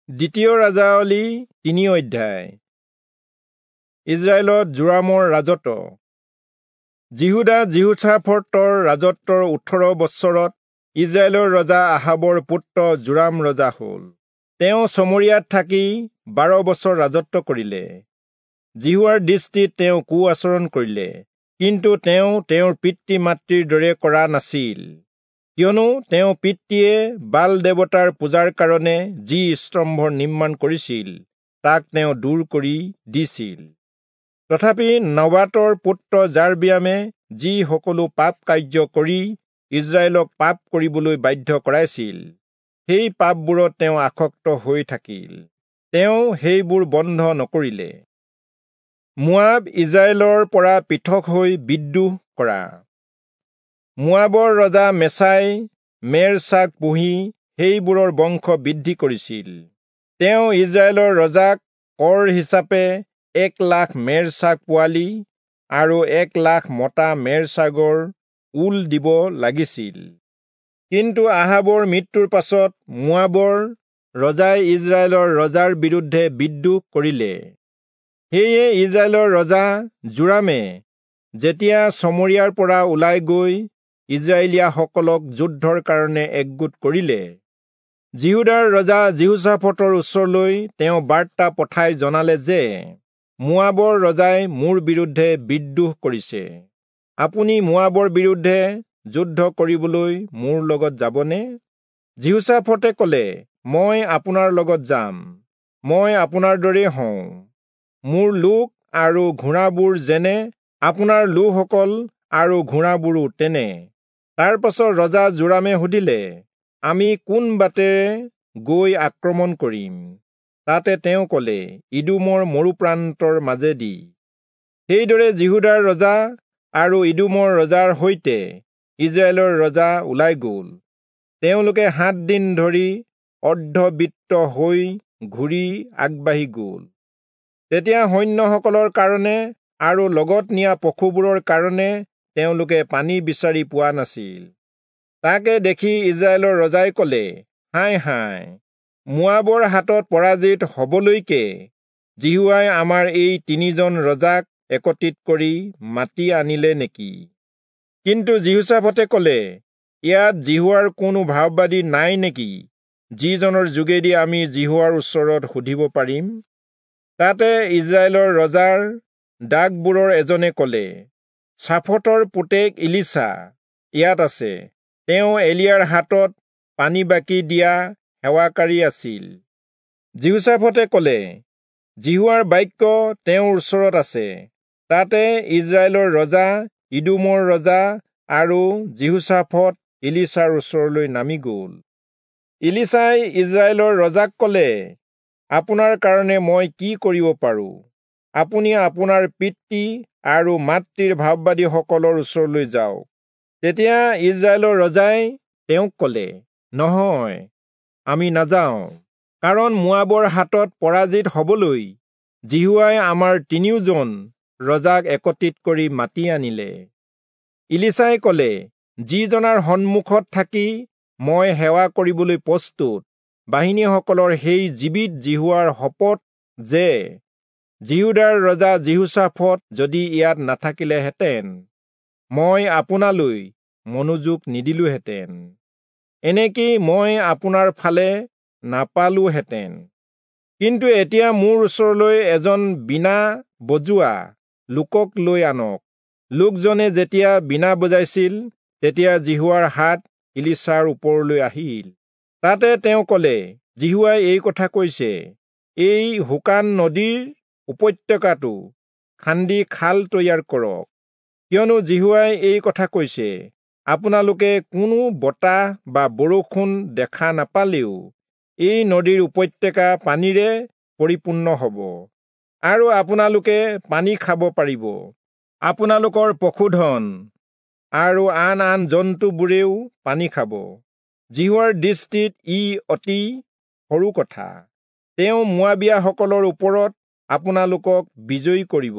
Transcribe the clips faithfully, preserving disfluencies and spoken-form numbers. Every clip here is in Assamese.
দ্বিতীয় ৰাজাৱলী তিনি অধ্যায়। ইজৰাইলত যোৰামৰ ৰাজত্ব। যিহূদা যিহোচাফটৰ ৰাজত্বৰ ওঠৰ বছৰত ইজৰাইলৰ ৰজা আহাবৰ পুত্ৰ যোৰাম ৰজা হ'ল। তেওঁ চমৰিয়াত থাকি বাৰ বছৰ ৰাজত্ব কৰিলে। যিহোৱাৰ দৃষ্টিত তেওঁ কু আচৰণ কৰিলে, কিন্তু তেওঁ তেওঁৰ পিতৃ মাতৃৰ দৰে কৰা নাছিল, কিয়নো তেওঁ পিতৃয়ে বাল দেৱতাৰ পূজাৰ কাৰণে যি স্তম্ভ নিৰ্মাণ কৰিছিল তাক তেওঁ দূৰ কৰি দিছিল। তথাপি নবাতৰ পুত্ৰ যাৰবিয়ামে যি সকলো পাপ কাৰ্য কৰি ইজৰাইলক পাপ কৰিবলৈ বাধ্য কৰাইছিল, সেই পাপবোৰত তেওঁ আসক্ত হৈ থাকিল। তেওঁ সেইবোৰ বন্ধ নকৰিলে। মোৱাব ইজৰাইলৰ পৰা পৃথক হৈ বিদ্ৰোহ কৰা। মোৱাবৰ ৰজা মেচাই মেৰ ছাগ পুহি সেইবোৰৰ বংশ বৃদ্ধি কৰিছিল। তেওঁ ইজৰাইলৰ ৰজাক কৰ হিচাপে এক লাখ মেৰ ছাগ পোৱালি আৰু এক লাখ মতা মেৰ ছাগৰ ঊল দিব লাগিছিল। কিন্তু আহাবৰ মৃত্যুৰ পাছত মোৱাবৰ ৰজাই ইজৰাইলৰ ৰজাৰ বিৰুদ্ধে বিদ্ৰোহ কৰিলে। সেয়ে ইজৰাইলৰ ৰজা যোৰামে যেতিয়া চমৰিয়াৰ পৰা ওলাই গৈ ইজৰাইলীয়াসকলক যুদ্ধৰ কাৰণে একগোট কৰিলে, যিহূদাৰ ৰজা যিহোচাফটৰ ওচৰলৈ তেওঁ বাৰ্তা পঠাই জনালে যে, মোৱাবৰ ৰজাই মোৰ বিৰুদ্ধে বিদ্ৰোহ কৰিছে, আপুনি মোৱাবৰ বিৰুদ্ধে যুদ্ধ কৰিবলৈ মোৰ লগত যাবনে? যিহোচাফটে কলে, মই আপোনাৰ লগত যাম, মই আপোনাৰ দৰেই হওঁ, মোৰ লোক আৰু ঘোঁৰাবোৰ যেনে আপোনাৰ লোকসকল আৰু ঘোঁৰাবোৰো তেনে। তাৰ পাছত ৰজা যোৰামে সুধিলে, আমি কোন বাটেৰে গৈ আক্ৰমণ কৰিম? তাতে তেওঁ কলে, ইদোমৰ মৰুপ্ৰান্তৰ মাজেদি। সেইদৰে যিহূদাৰ ৰজা আৰু ইদোমৰ ৰজাৰ সৈতে ইজৰাইলৰ ৰজা ওলাই গ'ল। তেওঁলোকে সাত দিন ধৰি অৰ্ধবৃত্ত হৈ ঘূৰি আগবাঢ়ি গ'ল। তেতিয়া সৈন্যসকলৰ কাৰণে আৰু লগত নিয়া পশুবোৰৰ কাৰণে তেওঁলোকে পানী বিচাৰি পোৱা নাছিল। তাকে দেখি ইজৰাইলৰ ৰজাই কলে, হায় হায়, মোৱাবৰ হাতত পৰাজিত হবলৈকে যিহোৱাই আমাৰ এই তিনিজন ৰজাক একত্ৰিত কৰি মাতি আনিলে নেকি? কিন্তু যিহোচাফটে কলে, ইয়াত যিহোৱাৰ কোনো ভাববাদী নাই নেকি, যিজনৰ যোগেদি আমি যিহোৱাৰ ওচৰত সুধিব পাৰিম? তাতে ইজৰাইলৰ ৰজাৰ দাগবোৰৰ এজনে কলে, চাফটৰ পুতেক ইলিচা ইয়াত আছে, তেওঁ এলিয়াৰ হাতত পানী বাকি দিয়া সেৱাকাৰী আছিল। যিহোচাফটে কলে, যিহোৱাৰ বাক্য তেওঁৰ ওচৰত আছে। তাতে ইজৰাইলৰ ৰজা, ইদোমৰ ৰজা আৰু যিহোচাফট ইলিচাৰ ওচৰলৈ নামি গ'ল। ইলিচাই ইজৰাইলৰ ৰজাক কলে, আপোনাৰ কাৰণে মই কি কৰিব পাৰোঁ? আপুনি আপোনাৰ পিতৃ আৰু মাতৃৰ ভাববাদীসকলৰ ওচৰলৈ যাওক। তেতিয়া ইজৰাইলৰ ৰজাই তেওঁক কলে, নহয়, আমি নাযাওঁ, কাৰণ মোৱাবৰ হাতত পৰাজিত হবলৈ যিহোৱাই আমাৰ তিনিওজন ৰজাক একত্ৰিত কৰি মাতি আনিলে। ইলিচাই কলে, যিজনাৰ সন্মুখত থাকি মই সেৱা কৰিবলৈ প্ৰস্তুত, বাহিনীসকলৰ সেই জীৱিত যিহোৱাৰ শপত যে যিহূদাৰ ৰজা যিহোচাফট যদি ইয়াত নাথাকিলেহেঁতেন, মই আপোনালৈ মনোযোগ নিদিলোহেঁতেন, এনেকি মই আপোনাৰ ফালে নাপালোহেঁতেন। কিন্তু এতিয়া মোৰ ওচৰলৈ এজন বীণা বজোৱা লোকক লৈ আনক। লোকজনে যেতিয়া বীণা বজাইছিল, তেতিয়া যিহোৱাৰ হাত ইলিচাৰ ওপৰলৈ আহিল। তাতে তেওঁ কলে, যিহোৱাই এই কথা কৈছে, এই শুকান নদীৰ উপত্যকাটো খান্দি খাল তৈয়াৰ কৰক। কিয়নো যিহোৱাই এই কথা কৈছে, আপোনালোকে কোনো বতাহ বা বৰষুণ দেখা নাপালেও এই নদীৰ উপত্যকা পানীৰে পৰিপূৰ্ণ হ'ব, আৰু আপোনালোকে পানী খাব পাৰিব। আপোনালোকৰ পশুধন আৰু আন আন জন্তুবোৰেও পানী খাব। যিহোৱাৰ দৃষ্টিত ই অতি সৰু কথা। তেওঁ মোৱাবীয়াসকলৰ ওপৰত আপোনালোকক বিজয়ী কৰিব।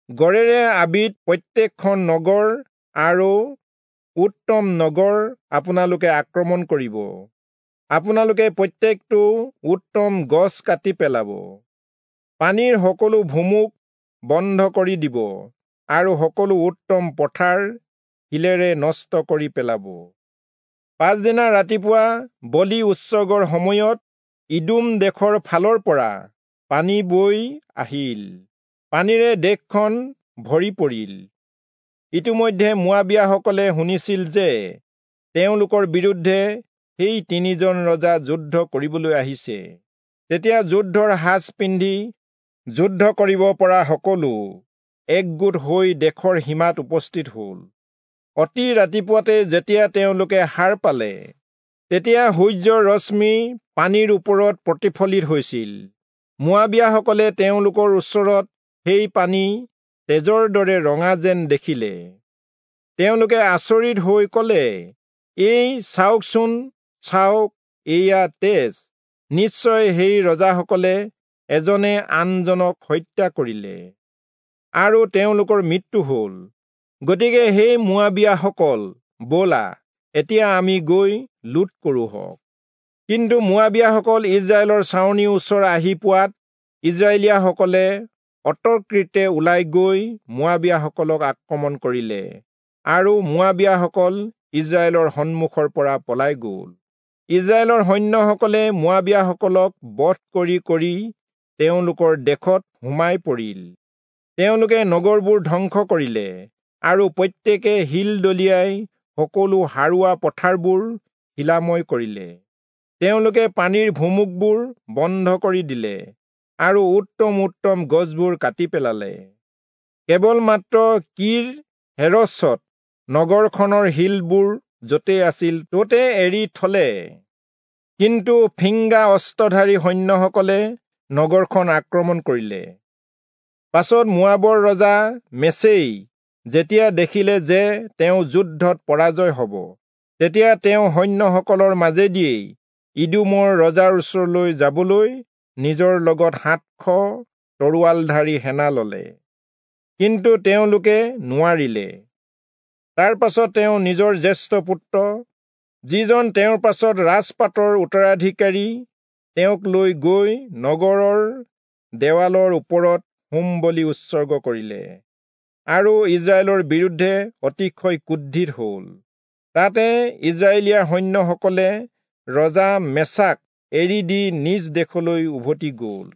গড়েৰে আবিত প্ৰত্যেকখন নগৰ আৰু উত্তম নগৰ আপোনালোকে আক্ৰমণ কৰিব। আপোনালোকে প্ৰত্যেকটো উত্তম গছ কাটি পেলাব, পানীৰ সকলো ভুমুক বন্ধ কৰি দিব আৰু সকলো উত্তম পথাৰ শিলেৰে নষ্ট কৰি পেলাব। পাছদিনা ৰাতিপুৱা বলি উৎসৰ্গৰ সময়ত ইদোম দেশৰ ফালৰ পৰা পানী বৈ আহিল, পানীৰে দেশখন ভৰি পৰিল। ইতিমধ্যে মোৱাবীয়াসকলে শুনিছিল যে তেওঁলোকৰ বিৰুদ্ধে সেই তিনিজন ৰজা যুদ্ধ কৰিবলৈ আহিছে। তেতিয়া যুদ্ধৰ সাজ পিন্ধি যুদ্ধ কৰিব পৰা সকলো একগোট হৈ দেশৰ সীমাত উপস্থিত হ'ল। অতি ৰাতিপুৱাতে যেতিয়া তেওঁলোকে সাৰ পালে, তেতিয়া সূৰ্যৰ ৰশ্মি পানীৰ ওপৰত প্ৰতিফলিত হৈছিল। মোৱাবীয়াসকলে তেওঁলোকৰ ওচৰত সেই পানী তেজৰ দৰে ৰঙা যেন দেখিলে। তেওঁলোকে আচৰিত হৈ ক'লে, এই চাওকচোন, চাওক, এয়া তেজ! নিশ্চয় সেই ৰজাসকলে এজনে আনজনক হত্যা কৰিলে আৰু তেওঁলোকৰ মৃত্যু হ'ল। গতিকে সেই মোৱাবীয়াসকল, ব'লা, এতিয়া আমি গৈ লুট কৰোঁহক। কিন্তু মোৱাবীয়াসকল ইস্ৰায়েলৰ ছাউনিৰ ওচৰ আহি পোৱাত ইস্ৰায়েলীয়াসকলে অতৰ্কিতে ওলাই গৈ মোৱাবীয়াসকলক আক্ৰমণ কৰিলে আৰু মোৱাবীয়াসকল ইস্ৰায়েলৰ সন্মুখৰ পৰা পলাই গ'ল। ইস্ৰায়েলৰ সৈন্যসকলে মোৱাবীয়াসকলক বধ কৰি কৰি তেওঁলোকৰ দেশত সোমাই পৰিল। তেওঁলোকে নগৰবোৰ ধ্বংস কৰিলে আৰু প্ৰত্যেকে শিল দলিয়াই সকলো সাৰুৱা পথাৰবোৰ শিলাময় কৰিলে। তেওঁলোকে পানীৰ ভুমুকবোৰ বন্ধ কৰি দিলে আৰু উত্তম উত্তম গছবোৰ কাটি পেলালে। কেৱল মাত্ৰ কীৰ হেৰচত নগৰখনৰ শিলবোৰ য'তে আছিল ত'তে এৰি থলে। কিন্তু ফিংগা অস্ত্ৰধাৰী সৈন্যসকলে নগৰখন আক্ৰমণ কৰিলে। পাছত মোৱাবৰ ৰজা মেচেই যেতিয়া দেখিলে যে তেওঁ যুদ্ধত পৰাজয় হ'ব, তেতিয়া তেওঁ সৈন্যসকলৰ মাজেদিয়েই ইদোমৰ ৰজাৰ ওচৰলৈ যাবলৈ নিজৰ লগত সাতশ তৰোৱালধাৰী সেনা ললে, কিন্তু তেওঁলোকে নোৱাৰিলে। তাৰ পাছত তেওঁ নিজৰ জ্যেষ্ঠ পুত্ৰ, যিজন তেওঁৰ পাছত ৰাজপাটৰ উত্তৰাধিকাৰী, তেওঁক লৈ গৈ নগৰৰ দেৱালৰ ওপৰত হোম বলি উৎসৰ্গ কৰিলে আৰু ইস্ৰায়েলৰ বিৰুদ্ধে অতিশয় ক্ৰোধিত হ'ল। তাতে ইস্ৰায়েলীয়া সৈন্যসকলে ৰজা মেচাক এৰি দি নিজ দেশলৈ উভতি গ'ল।